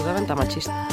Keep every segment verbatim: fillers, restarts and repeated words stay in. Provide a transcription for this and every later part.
Absolutamente machista.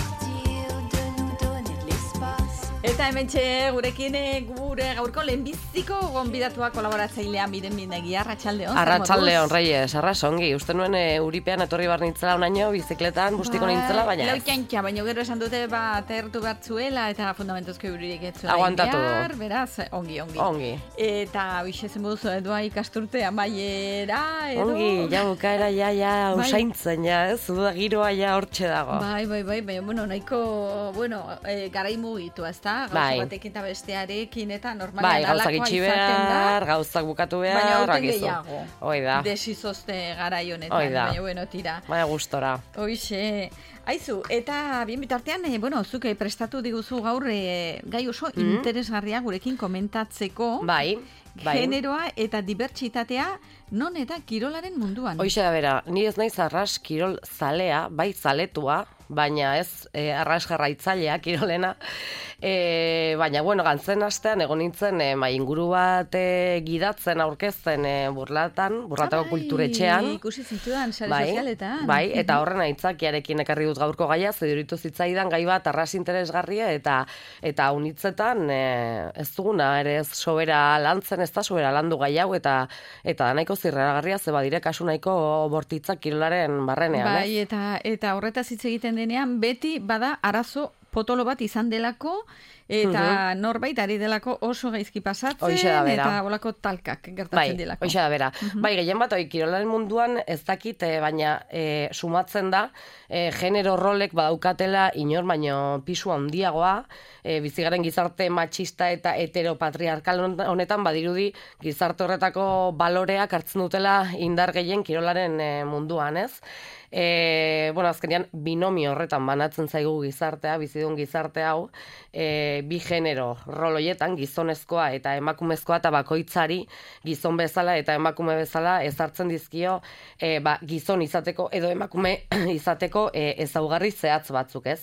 Eta hementxe gurekin gure gaurko lehenbiziko gonbidatua kolaboratzailea Miren Mindegi, arratsaldeon. Arratsaldeon, Reyes, arrasongi. Uste nuen e, Uripean etorri bar nintzela unaino, bizikletan, bustiko ba, nintzela, baina ez. Laukantxa, baina gero esan dute ba, atertu bertzuela eta fundamentuzko euririk etzuela. Aguantatu. Behar, beraz, ongi, ongi. Ongi. Eta bixe zen buduzu, edua ikasturte amaiera, edo... Ongi, ja bukaera, ja, ja, usaintzen, ja, ez? Uda giroa, ja, hortxe dago. Bai, bai, bai, baina, bueno, nahiko, bueno, e, garai mugitu, ez da? Gauza bai. batekin eta bestearekin eta normalean bai, gauzak itxi behar, gauzak bukatu behar, baina aurten gehiago. Hoi da. Desizozte garai honetan, baina, bueno, tira. Baina gustora. Hoixe. Aizu, eta bien bitartean, eh, bueno, zuke prestatu diguzu gaur eh, gai oso mm. interesgarria gurekin komentatzeko. Bai. Bai. Generoa eta dibertsitatea non eta kirolaren munduan. Hoixe da bera, ni ez naiz arras kirol zalea, bai zaletua, baina ez e, arras jarraitzailea kirolena. E, baina, bueno, gantzen astean egon nintzen e, mai inguru bat e, gidatzen aurkezten e, burlatan, burlatako bai, kulturetxean. Ikusi zintudan, sare bai, sozialetan. Bai, eta horren aitzakiarekin ekarri dut gaurko gaia, zeduritu zitzaidan gai bat arras interesgarria eta eta unitzetan e, ez duguna ere ez sobera lantzen, ez da sobera landu gai hau eta eta nahiko zirraragarria ze badire kasu nahiko bortitzak kirolaren barrenean. Bai, eh? eta, eta horretaz hitz egiten denean beti bada arazo potolo bat izan delako eta uh-huh. norbait ari delako oso gaizki pasatzen eta bolako talkak gertatzen bai, delako. Hoxe da bera. Uh-huh. Bai, gehien bat, oi, kirolaren munduan ez dakit, baina e, sumatzen da, e, genero rolek badaukatela inor baino pisu handiagoa, e, bizigaren gizarte machista eta heteropatriarkal honetan badirudi gizarte horretako baloreak hartzen dutela indar gehien kirolaren e, munduan, ez? E, bueno, azkenean binomio horretan banatzen zaigu gizartea, bizidun gizarte hau, e, bi genero roloietan, gizonezkoa eta emakumezkoa, eta bakoitzari gizon bezala eta emakume bezala ezartzen dizkio e, ba, gizon izateko edo emakume izateko e, ezaugarri zehatz batzuk, ez?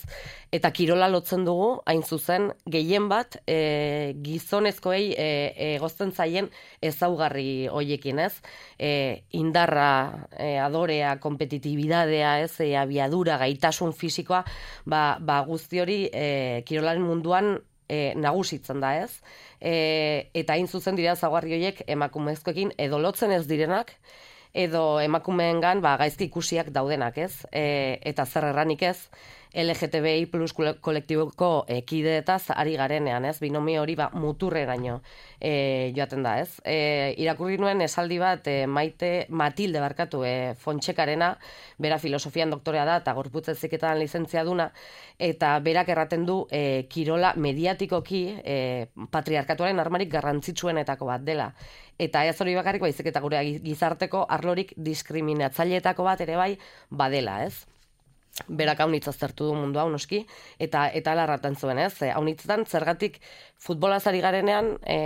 Eta kirola lotzen dugu, hain zuzen, gehien bat e, gizonezkoei e, egozten zaien ezaugarri hoiekin, ez? E, indarra, e, adorea, kompetitibidadea, ez? E, abiadura, gaitasun fisikoa, ba, ba guzti hori e, kirolaren munduan e, nagusitzen da, ez? E, eta hain zuzen dira ezaugarri horiek emakumezkoekin edo lotzen ez direnak, edo emakumeengan ba, gaizki ikusiak daudenak, ez? E, eta zer erranik ez, L G T B I plus kolektiboko e, kideetaz ari garenean, ez? Binomio hori ba, muturreraino e, joaten da, ez? E, irakurri nuen esaldi bat e, Maite Matilde barkatu e, Fontxekarena, bera filosofian doktorea da eta gorputz heziketan lizentziaduna, eta berak erraten du e, kirola mediatikoki e, patriarkatuaren armarik garrantzitsuenetako bat dela. Eta ez hori bakarrik baizik eta gure gizarteko arlorik diskriminatzaileetako bat ere bai badela, ez? Berak haunitz aztertu du mundu hau noski, eta eta larratan zuen, ez? Haunitzetan zergatik futbolaz ari garenean e,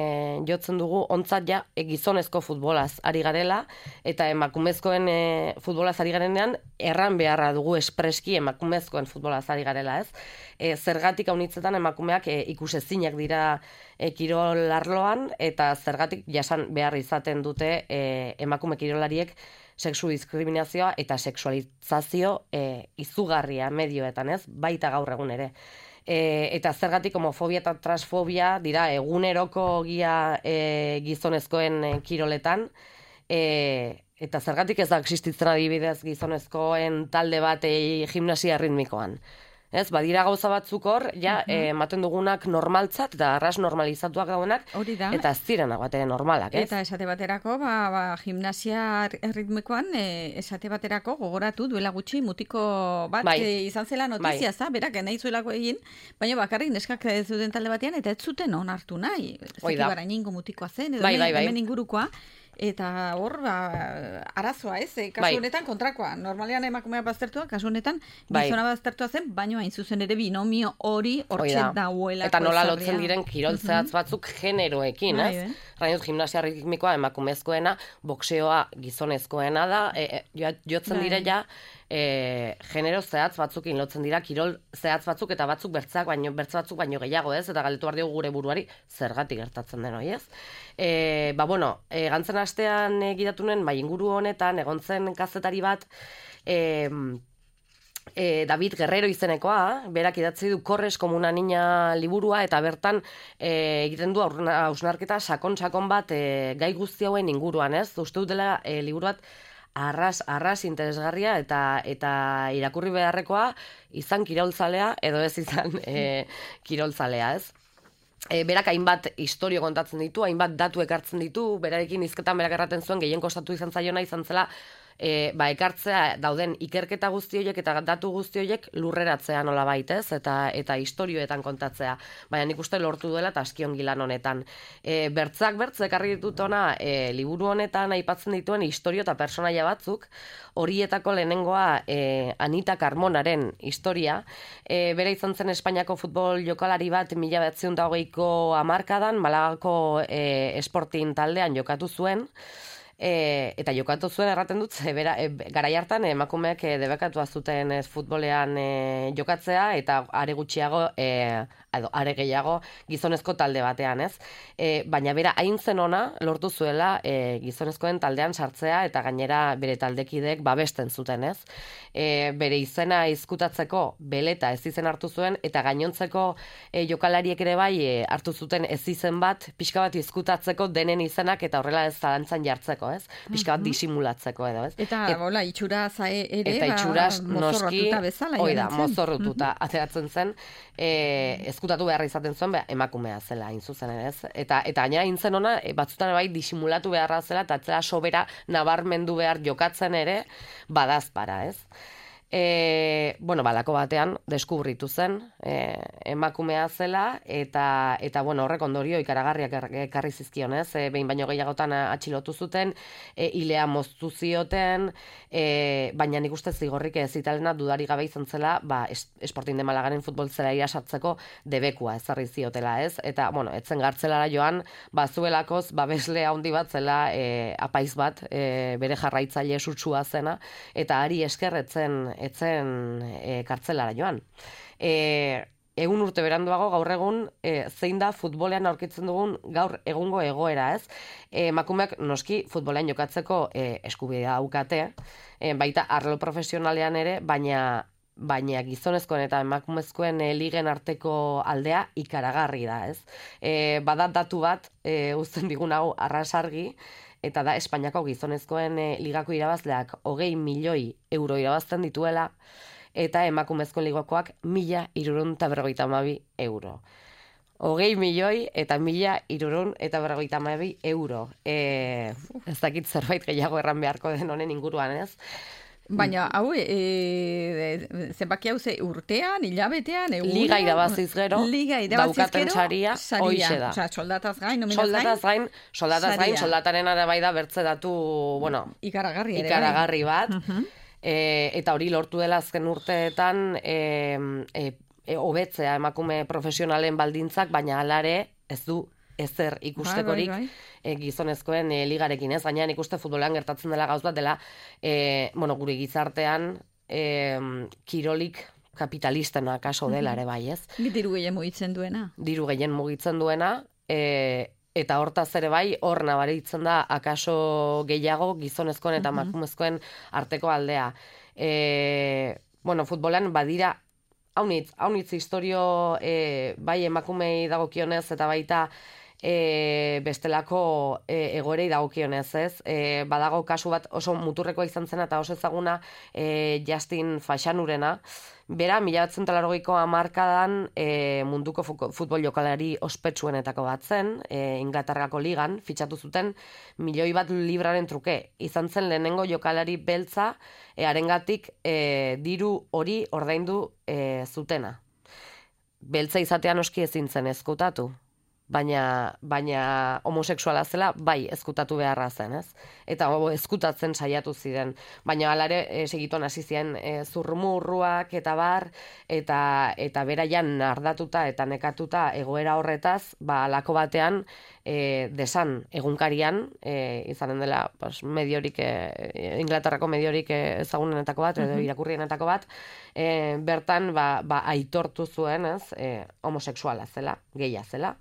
jotzen dugu ontzat ja e, gizonezko futbolaz ari garela, eta emakumezkoen e, futbolaz ari garenean erran beharra dugu espreski emakumezkoen futbolaz ari garela, ez? E, zergatik haunitzetan emakumeak e, ikusezinak dira e, kirol arloan, eta zergatik jasan behar izaten dute e, emakume kirolariek sexu diskriminazioa eta sexualizazio e, izugarria medioetan, ez? Baita gaur egun ere. E, eta zergatik homofobia eta transfobia dira eguneroko gia e, gizonezkoen e, kiroletan, e, eta zergatik ez da existitzen adibidez gizonezkoen talde bat e, gimnasia ritmikoan. Ez, badira gauza batzuk hor, ja, uh-huh. ematen dugunak normaltzat, eta arras normalizatuak daudenak, eta ez zirenak batere normalak, ez? Eta esate baterako, ba, ba, gimnasia ritmikoan, e, esate baterako gogoratu duela gutxi mutiko bat bai. e, izan zela notizia, bai. berak nahi zuelako egin, baina bakarrik neskak ez zuten talde batean, eta ez zuten onartu nahi. Zaki barainengo mutikoa zen, edo bai, bai, bai. hemen ingurukoa, Eta hor, ba, arazoa ez, eh? Kasu honetan kontrakoa. Normalean emakumea baztertua, kasu honetan gizona baztertua zen, baino hain zuzen ere binomio hori hortxe dauelako. Eta nola lotzen diren kirol zehatz batzuk generoekin, ez? Rainut, gimnasia ritmikoa emakumezkoena, boxeoa gizonezkoena da, e, e, jotzen dire ja, E, genero zehatz batzukin lotzen dira, kirol zehatz batzuk eta batzuk bertzak baino, bertz batzuk baino gehiago, ez? Eta galdetu behar diogu gure buruari zergatik gertatzen den hori, ez? E, ba, bueno, e, gantzen astean e, gidatu nuen, bai inguru honetan, egon zen kazetari bat, e, e, David Guerrero izenekoa, berak idatzi du Corres como una niña liburua, eta bertan e, egiten du hausnarketa sakon-sakon bat e, gai guzti hauen inguruan, ez? Uste dut dela e, liburu bat arras, arras interesgarria eta eta irakurri beharrekoa izan kirolzalea edo ez izan e, kirolzalea, ez? E, berak hainbat historio kontatzen ditu, hainbat datu ekartzen ditu, berarekin hizketan berak erraten zuen gehien kostatu izan zaiona izan zela E, ba, ekartzea dauden ikerketa guzti horiek eta datu guzti horiek lurreratzea nola baitez, eta, eta historioetan kontatzea. Baina nik uste lortu duela eta askion gilan honetan. E, bertzak bertz, ekarri ditut ona, e, liburu honetan aipatzen dituen historio eta personaia batzuk, horietako lehenengoa e, Anita Carmonaren historia, e, bera izan zen Espainiako futbol jokalari bat mila bederatziehun eta hogeiko hamarkadan, Malagako e, Sporting taldean jokatu zuen, E, eta jokatu zuen erraten dut, e, bera, e, garai hartan emakumeak e, debekatua zuten ez, futbolean e, jokatzea, eta are gutxiago, e, edo, are gehiago gizonezko talde batean, ez? E, baina bera hain zen ona lortu zuela e, gizonezkoen taldean sartzea, eta gainera bere taldekidek babesten zuten, ez? E, bere izena izkutatzeko beleta ez izen hartu zuen, eta gainontzeko e, jokalariek ere bai e, hartu zuten ez izen bat, pixka bat izkutatzeko denen izenak, eta horrela ez zalantzan jartzeko, ez? Pixka bat disimulatzeko edo, ez? Eta, Et, bola, itxura zae ere, eta itxuraz, ba, mozorrotuta bezala. Hoi da, mozorrotuta ateratzen zen, e, ezkutatu beharra izaten zuen, be, emakumea zela, hain zuzen ere, ez? Eta, eta gainera intzen ona, e, batzutan bai disimulatu beharra zela, eta atzera sobera nabarmendu behar jokatzen ere, badazpara, ez? E, bueno, balako batean deskubritu zen e, emakumea zela eta eta bueno, horrek ondorio ikaragarriak ekarri zizkionez, e, behin baino gehiagotan atxilotu zuten, e, ilea moztu zioten, e, baina nik uste zigorrik ez italena dudari gabe izan zela, ba, Sporting de Malagaren futbol zela irasatzeko debekua ezarri ziotela, ez? Eta, bueno, etzen gartzelara joan, bazuelakoz, babesle handi bat zela e, apaiz bat, e, bere jarraitzaile sutsua zena, eta ari eskerretzen etzen e, kartzelara joan. E, egun urte beranduago gaur egun e, zein da futbolean aurkitzen dugun gaur egungo egoera, ez? E, emakumeak noski futbolean jokatzeko e, eskubidea daukate, e, baita arlo profesionalean ere, baina baina gizonezkoen eta emakumezkoen e, ligen arteko aldea ikaragarri da, ez? E, badat datu bat, e, uzten digun hau arrasargi, eta da Espainiako gizonezkoen e, ligako irabazleak hogei milioi euro irabazten dituela, eta emakumezkoen ligakoak mila hirurehun eta berrogeita hamabi euro. Hogei milioi eta mila hirurehun eta berrogeita hamabi euro. E, ez dakit zerbait gehiago erran beharko den honen inguruan, ez? Baina, hau, e, e, zenbaki hau ze urtean, hilabetean, egunean... Liga irabaziz gero, Liga irabaziz gero, saria, hoixe da. Osa, soldataz gain, nominaz gain. Soldataz gain, soldataz gain, soldataren bai da bertze datu, bueno... Ikaragarri ere. Ikaragarri bat. Uh-huh. e, eta hori lortu dela azken urteetan, e, e, e, hobetzea emakume profesionalen baldintzak, baina alare ez du ezer ikustekorik bai, bai, bai. E, gizonezkoen e, ligarekin, ez? Gaina ikuste futbolean gertatzen dela gauz bat dela, e, bueno, gure gizartean e, kirolik kapitalistena kaso dela ere bai, ez? Diru gehien mugitzen duena. Diru gehien mugitzen duena, e, eta hortaz ere bai, hor nabaritzen da akaso gehiago gizonezkoen eta emakumezkoen arteko aldea. E, bueno, futbolean badira haunitz, haunitz historio e, bai emakumei dagokionez eta baita E, bestelako e, egoerei dagokionez, ez? E, badago kasu bat oso muturrekoa izan zena eta oso ezaguna e, Justin Faxanurena. Bera, mila batzen talarrogeiko hamarkadan e, munduko futbol jokalari ospetsuenetako bat zen, e, Inglaterrako ligan, fitxatu zuten milioi bat libraren truke. Izan zen lehenengo jokalari beltza, e, harengatik e, diru hori ordaindu e, zutena. Beltza izatean oski ezin zen ezkutatu. baina, baina homosexuala zela, bai, ezkutatu beharra zen, ez? Eta oh, ezkutatzen saiatu ziren. Baina hala ere, e, segituan hasi ziren e, zurrumurruak eta bar, eta, eta beraian ardatuta eta nekatuta egoera horretaz, ba, alako batean, e, desan egunkarian, e, izanen dela, pues, mediorik, e, Inglaterrako mediorik ezagunenetako bat, edo irakurrienetako bat, e, bertan, ba, ba, aitortu zuen, ez, e, homosexuala zela, gehia zela.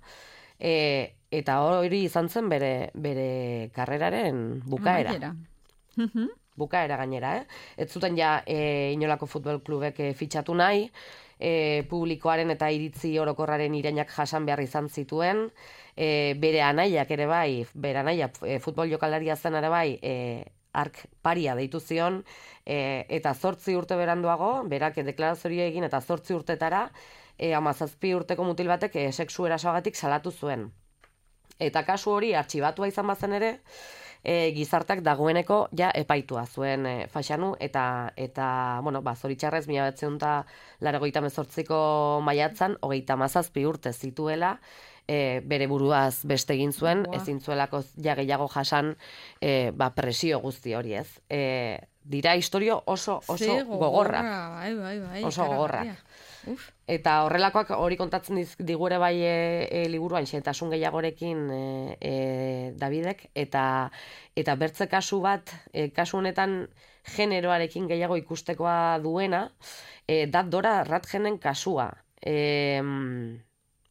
E, eta hori izan zen bere, bere karreraren bukaera. Bukaera gainera, eh? Ez zuten ja e, inolako futbol klubek e, fitxatu nahi, e, publikoaren eta iritzi orokorraren irainak jasan behar izan zituen, e, bere anaiak ere bai, bere anaia e, futbol jokalaria zen ere bai, e, ark paria deitu zion, e, eta zortzi urte beranduago, berak deklarazioa egin eta zortzi urtetara, E, amazazpi urteko mutil batek e, sexu erasoagatik salatu zuen. Eta kasu hori artxibatua izan bazen ere, e, gizarteak dagoeneko ja epaitua zuen e, Faxanu, eta, eta bueno, ba, zoritxarrez, mila behatziehun eta laurogeita hemezortziko maiatzan, hogeita hamazazpi urte zituela, e, bere buruaz beste egin zuen, wow. Ezin zuelako ja gehiago jasan e, ba, presio guzti hori ez. E, dira historio oso, oso gogorrak. Bai, bai, bai, oso gogorrak. Uf. Eta horrelakoak hori kontatzen digure bai e, e, liburuan xentasun gehiagorekin e, e, Davidek, eta eta bertze kasu bat, e, kasu honetan generoarekin gehiago ikustekoa duena, e, da Dora Radjenen kasua. E,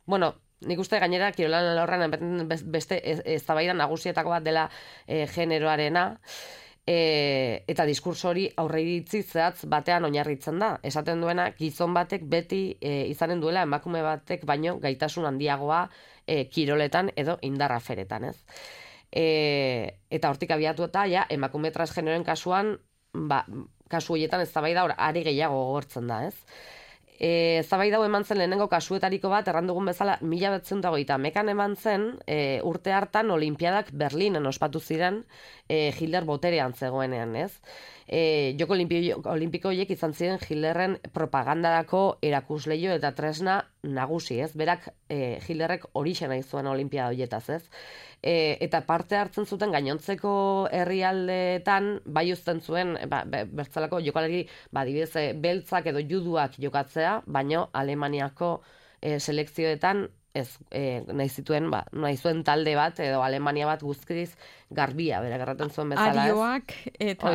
bueno, nik uste gainera Kirolan Alorran beste eztabaida nagusietako bat dela e, generoarena, E, eta diskurso hori aurreiritzi zehatz batean oinarritzen da. Esaten duena, gizon batek beti e, izanen duela emakume batek baino gaitasun handiagoa e, kiroletan edo indarraferetan, ez? E, eta hortik abiatu eta ja, emakume transgeneroen kasuan, ba, kasu horietan eztabaida hor ari gehiago gogortzen da, ez? E, eztabaida hau eman zen lehenengo kasuetariko bat, errandugun bezala, mila behatzen dagoita mekan eman zen, e, urte hartan Olimpiadak Berlinen ospatu ziren, e, Hitler boterean zegoenean, ez? E, joko olimpiko horiek izan ziren Hitlerren propagandarako erakusleio eta tresna nagusi, ez? Berak e, Hitlerrek horixe nahi zuen Olimpiada horietaz, ez? E, eta parte hartzen zuten gainontzeko herrialdeetan bai uzten zuen, ba, bertzalako jokalari, ba, dibidez, beltzak edo juduak jokatzea, baino Alemaniako e, selekzioetan ez, e, nahi zituen, ba, nahi zuen talde bat, edo Alemania bat guztiz garbia, bera garraten zuen bezala, ez? Arioak eta,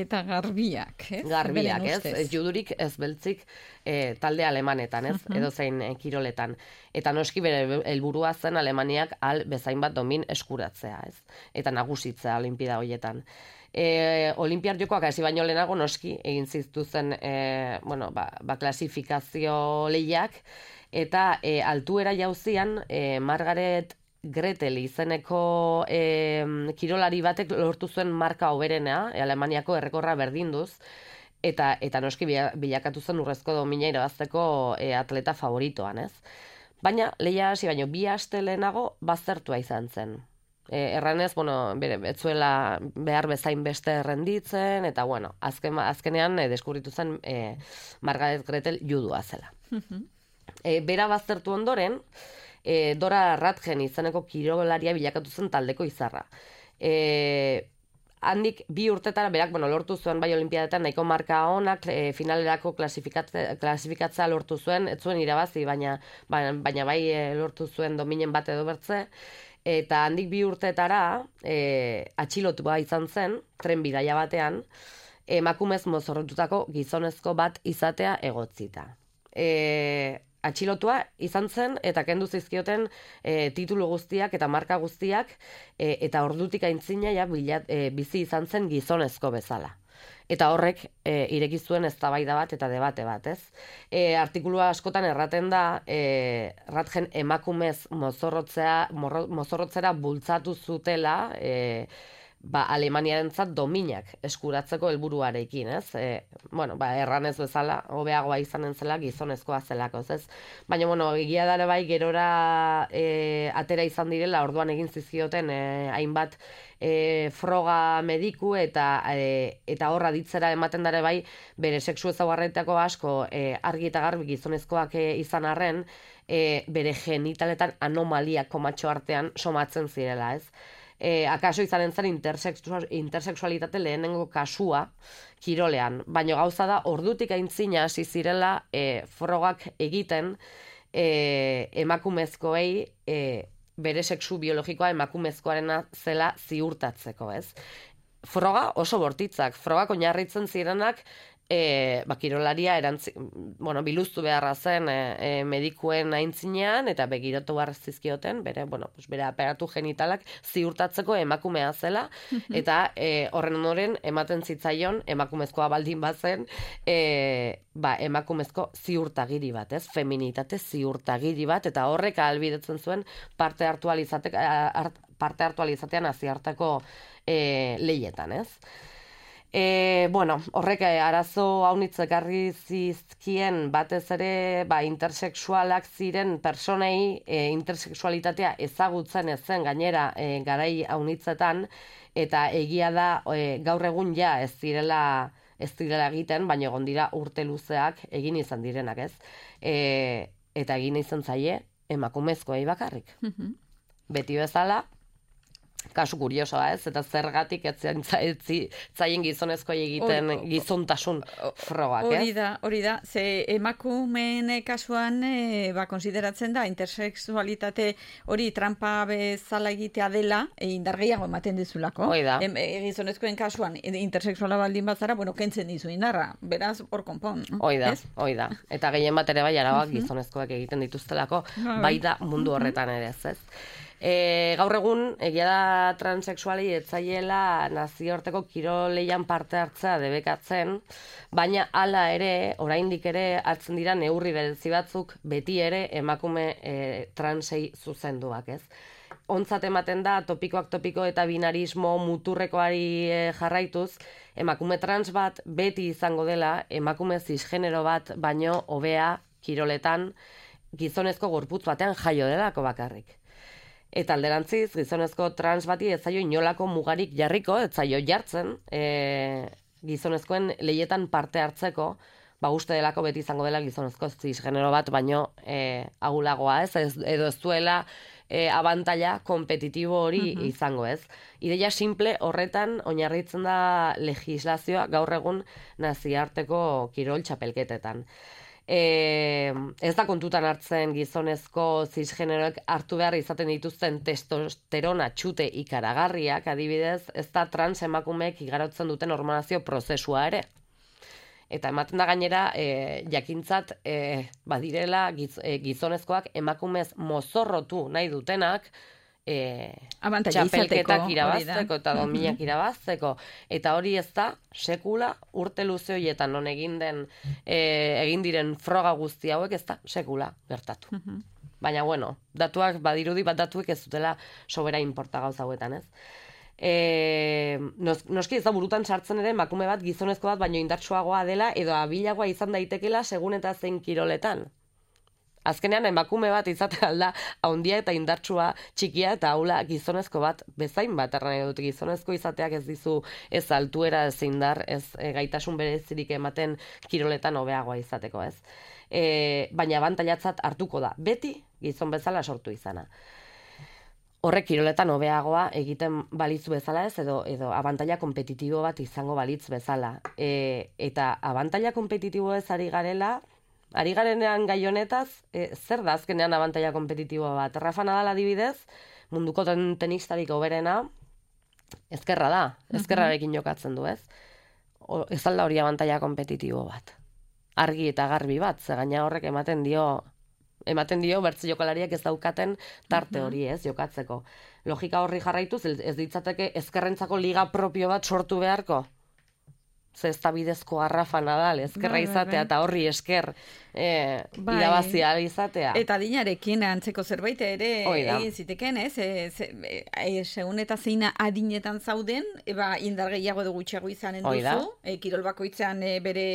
eta garbiak, ez? Garbiak, ez? Ez judurik, ez beltzik e, talde alemanetan, ez? Uh-huh. Edo zein e, kiroletan. Eta noski bere helburua zen Alemaniak al bezain bat domin eskuratzea, ez? Eta nagusitzea Olimpida horietan. E, Olimpiar jokoak hasi baino lehenago noski egin zituzten e, bueno, ba, ba klasifikazio lehiak, eta e, altuera jauzian e, Margaret Gretel izeneko e, kirolari batek lortu zuen marka hoberena, e, Alemaniako errekorra berdinduz, eta eta noski bilakatu zen urrezko domina irabazteko e, atleta favoritoan, ez? Baina lehia hasi baino bi aste lehenago baztertua izan zen. E, erranez, bueno, bere, etzuela behar bezain beste errenditzen, eta bueno, azken, azkenean e, deskubritu zen e, Margaret Gretel judua zela. E, bera baztertu ondoren, e, Dora Radjen izeneko kirolaria bilakatu zen taldeko izarra. E, handik bi urtetara berak, bueno, lortu zuen bai olimpiadetan nahiko marka onak, e, finalerako klasifikatzea, klasifikatzea lortu zuen, ez zuen irabazi, baina, baina, baina bai e, lortu zuen dominen bat edo bertze, eta handik bi urtetara e, atxilotua izan zen, tren bidaia batean, emakumez mozorrotutako gizonezko bat izatea egotzita. E, atxilotua izan zen eta kendu zizkioten e, titulu guztiak eta marka guztiak e, eta ordutik aintzina ja bilat, e, bizi izan zen gizonezko bezala. Eta horrek e, ireki zuen eztabaida bat eta debate bat, ez? E, artikulua askotan erraten da e, Radjen emakumez mozorrotzea, morro, mozorrotzera bultzatu zutela, e, ba, Alemaniarentzat dominak eskuratzeko helburuarekin, ez? E, bueno, ba, erranez bezala, hobeagoa izanen zela gizonezkoa zelako, ez? Baina, bueno, egia dara bai, gerora e, atera izan direla, orduan egin zizkioten e, hainbat e, froga mediku eta e, eta horra ditzera ematen dare bai, bere sexu ezaugarrietako asko e, argi eta garbi gizonezkoak e, izan arren, e, bere genitaletan anomalia komatxo artean somatzen zirela, ez? E, akaso izanen zen intersexual, intersexualitate lehenengo kasua kirolean, baina gauza da ordutik aintzina hasi zirela e, frogak egiten e, emakumezkoei e, bere sexu biologikoa emakumezkoarena zela ziurtatzeko, ez? Froga oso bortitzak, frogak oinarritzen zirenak E, ba, kirolaria erantzi, bueno, biluztu beharra zen e, e, medikuen aintzinean eta begiratu behar zizkioten, bere, bueno, pues, bere aparatu genitalak ziurtatzeko emakumea zela, eta e, horren ondoren ematen zitzaion emakumezkoa baldin bazen, e, ba, emakumezko ziurtagiri bat, ez? Feminitate ziurtagiri bat, eta horrek ahalbidetzen zuen parte hartu alizatek, art, parte hartu alizatean aziartako e, leietan, ez? E, bueno, horrek arazo haunitz ekarri zizkien batez ere ba, intersexualak ziren personei e, intersexualitatea ezagutzen ez zen gainera e, garai haunitzetan, eta egia da e, gaur egun ja ez direla ez direla egiten, baina egon dira urte luzeak egin izan direnak, ez? E, eta egin izan zaie emakumezkoei bakarrik. Beti bezala, kasu kuriosoa, ez? Eta zergatik ez zaien gizonezkoi egiten or, gizontasun frogak, ez? Hori da, hori da. Ze emakumeen kasuan, e, ba, konsideratzen da, intersexualitate hori trampa bezala egitea dela, e, indar gehiago ematen dizulako. Hoi da. E, e, gizonezkoen kasuan, intersexuala baldin bazara, bueno, kentzen dizu indarra. Beraz, hor konpon. Hoi da, hoi da. Eta gehien bat ere bai, arabak uh-huh. gizonezkoak egiten dituztelako, bai da mundu horretan ere, ez? E, gaur egun, egia da transexualei etzaiela nazioarteko kiroleian parte hartzea debekatzen, baina hala ere, oraindik ere, hartzen dira neurri berezi batzuk beti ere emakume e, transei zuzenduak, ez? Ontzat ematen da, topikoak topiko eta binarismo muturrekoari e, jarraituz, emakume trans bat beti izango dela, emakume cisgenero bat baino hobea kiroletan gizonezko gorputz batean jaio delako bakarrik. Eta alderantziz, gizonezko trans bati ez zaio inolako mugarik jarriko, ez zaio jartzen, e, gizonezkoen leietan parte hartzeko, ba uste delako beti izango dela gizonezko cisgenero bat, baino e, agulagoa, ez, ez edo ez duela e, abantaila kompetitibo hori uh-huh. izango, ez. Ideia simple horretan oinarritzen da legislazioa gaur egun nazioarteko kirol txapelketetan. E, ez da kontutan hartzen gizonezko cisgeneroek hartu behar izaten dituzten testosterona txute ikaragarriak, adibidez, ez da trans emakumeek igarotzen duten hormonazio prozesua ere. Eta ematen da gainera, e, jakintzat, e, badirela giz, e, gizonezkoak emakumez mozorrotu nahi dutenak, E, txapelketak irabazteko eta dominak irabazteko, eta hori ez da sekula urte luze horietan non egin den e, egin diren froga guzti hauek ez da sekula gertatu. Uh-huh. Baina bueno, datuak badirudi bat datuek ez dutela sobera inporta gauza hauetan, ez? E, nos, noski ez da burutan sartzen ere emakume bat gizonezko bat baino indartsuagoa dela edo abilagoa izan daitekela segun eta zein kiroletan. Azkenean emakume bat izaten alda haundia eta indartsua txikia eta haula gizonezko bat bezain bat erran dut gizonezko izateak ez dizu ez altuera ez indar ez e, gaitasun berezirik ematen kiroletan hobeagoa izateko, ez. E, baina abantailatzat hartuko da beti gizon bezala sortu izana. Horrek kiroletan hobeagoa egiten balitz bezala ez edo edo abantaila kompetitibo bat izango balitz bezala. E, eta abantaila kompetitibo ez ari garela Ari garenean gai honetaz, e, zer da azkenean abantaila kompetitiboa bat? Rafa Nadal adibidez, munduko ten, tenistarik hoberena, ezkerra da, ezkerrarekin jokatzen du, ez? O, ez alda hori abantaila kompetitibo bat. Argi eta garbi bat, ze gaina horrek ematen dio, ematen dio bertze jokalariak ez daukaten tarte hori, ez, jokatzeko. Logika horri jarraituz, ez ditzateke ezkerrentzako liga propio bat sortu beharko? Ze ez da bidezko Rafa Nadal, ezkerra izatea eta horri esker e, bai. Irabazia izatea. Eta adinarekin antzeko zerbait ere egin ziteken, ez? E, ze, e, segun eta zeina adinetan zauden, eba indar gehiago edo gutxiago izanen duzu, e, kirol bakoitzean e, bere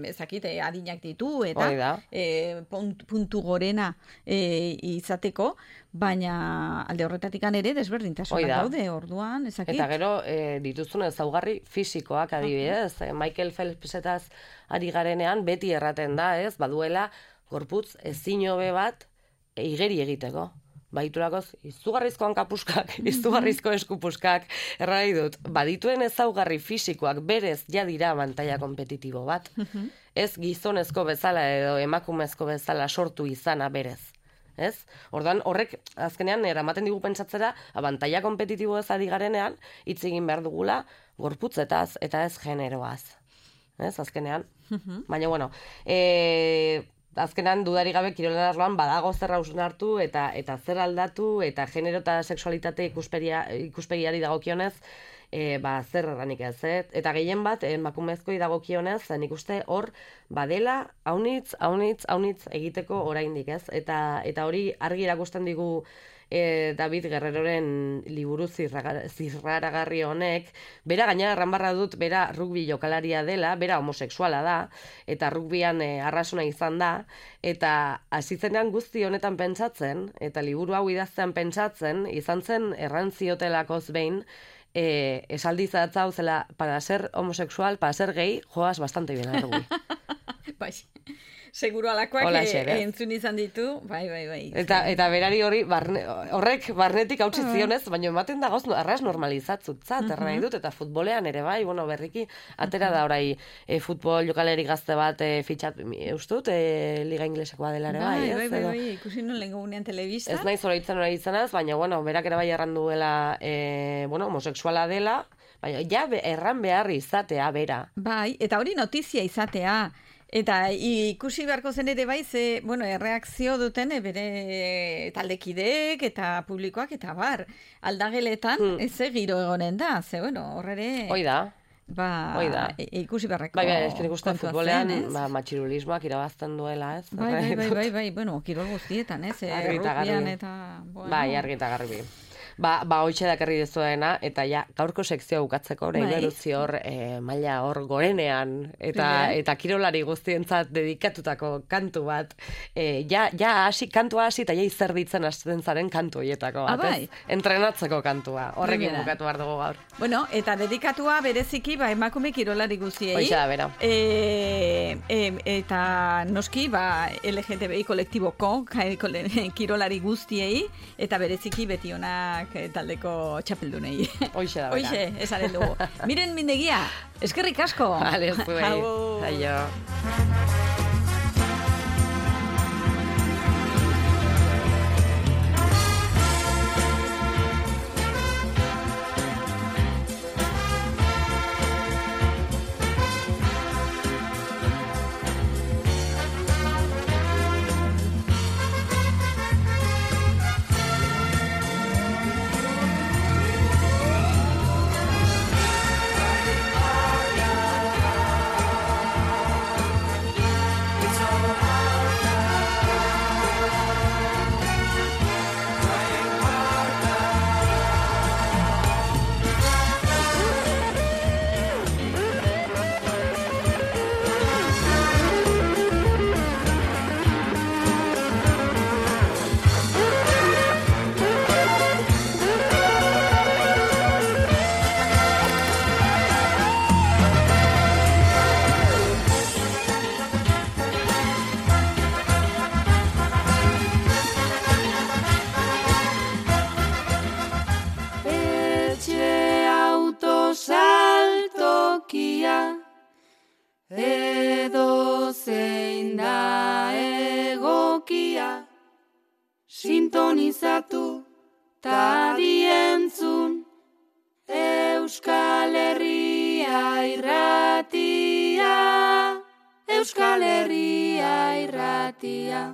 ezakit, e, adinak ditu, eta e, puntu gorena e, izateko, baina alde horretatik ere desberdintasunak daude, orduan, ezakit. Eta gero, e, dituzun ezaugarri fisikoak adibidez, okay. Michael Phelpsetaz ari garenean beti erraten da, ez, baduela gorputz ezin hobe bat igeri egiteko. Baiturakoz, izugarrizko hankapuskak, izugarrizko eskupuskak, errai dut, badituen ezaugarri fisikoak berez jadira abantaila kompetitibo bat. Ez gizonezko bezala edo emakumezko bezala sortu izana berez. Ez? Orduan, horrek, azkenean, eramaten digu pentsatzera, abantaila kompetitibo ez ari garenean, hitz egin behar dugula, gorputzetaz eta ez generoaz. Ez, azkenean. Baina, bueno, e, azkenean dudarik gabe kirolen arloan badago zer hausnartu eta eta zer aldatu eta genero eta sexualitate ikuspegiari dagokionez, e, ba, zer erranik ez, eh? Eta gehien bat, emakumezkoi dagokionez, nik uste hor, badela, haunitz, haunitz, haunitz egiteko oraindik ez, eta, eta hori argi erakusten digu e, David Guerreroren liburu zirraragarri honek, bera gaina erranbarra dut, bera rugby jokalaria dela, bera homosexuala da, eta rugbyan e, arrasuna izan da, eta hasitzenean guzti honetan pentsatzen, eta liburu hau idaztean pentsatzen, izan zen errantziotelako behin, Eh, esaldi zatzau zela, para ser homosexual, para ser gay, joas bastante bien a rugby. Bai, seguro alakoak e, entzun izan ditu, bai, bai, bai. Eta, eta berari hori, barne, horrek barnetik hautsi zionez, baina ematen da gauz, arras normalizatzut, erran dut, eta futbolean ere bai, bueno, berriki, atera da orai e, futbol jokaleri gazte bat e, fitxat, eustut, e, liga inglesakoa dela ere bai, ez? Bai, bai, bai, ikusi non lehen gunean telebista. Ez nahi zora itzen hori izanaz, baina, bueno, berak ere bai erranduela, e, bueno, homosexuala dela, baina, ja, erran behar izatea, bera. Bai, eta hori notizia izatea, eta ikusi beharko zen ere bai, ze, bueno, erreakzio duten e, bere taldekideek eta publikoak eta bar, aldageletan hmm. ez giro egonen da, ze, bueno, horrere... Hoi da. Ba, e, ikusi beharreko bai, bai, ez ikusten futbolean, ba, matxirulismoak irabazten duela, ez? Bai, bai, bai, bai, bai, bueno, kirol guztietan, ez? Errupian eta... Bueno. Bai, argi eta garbi. Ba, ba hoitxe dakarri dezuena, eta ja, gaurko sekzioa bukatzeko, orain bai. Erutzi hor, e, maila hor gorenean, eta bai. Eta kirolari guztientzat dedikatutako kantu bat, e, ja, ja hasi, kantua hasi, eta ja izerditzen hasten zaren kantu hietako bat, ah, bai. Entrenatzeko kantua, horrekin bai, bukatu behar dugu gaur. Bueno, eta dedikatua bereziki, ba, emakume kirolari guztiei. Hoitxe da, bera. E, e, eta noski, ba, L G T B I kolektiboko kirolari guztiei, eta bereziki beti onak taldeko txapeldunei. Hoixe da, bera. Hoixe, esaren dugu. Miren mindegia, eskerrik asko. Vale, zuei. Aio. Edo zein da egokia, sintonizatu ta dientzun, Euskal Herria irratia, Euskal Herria irratia.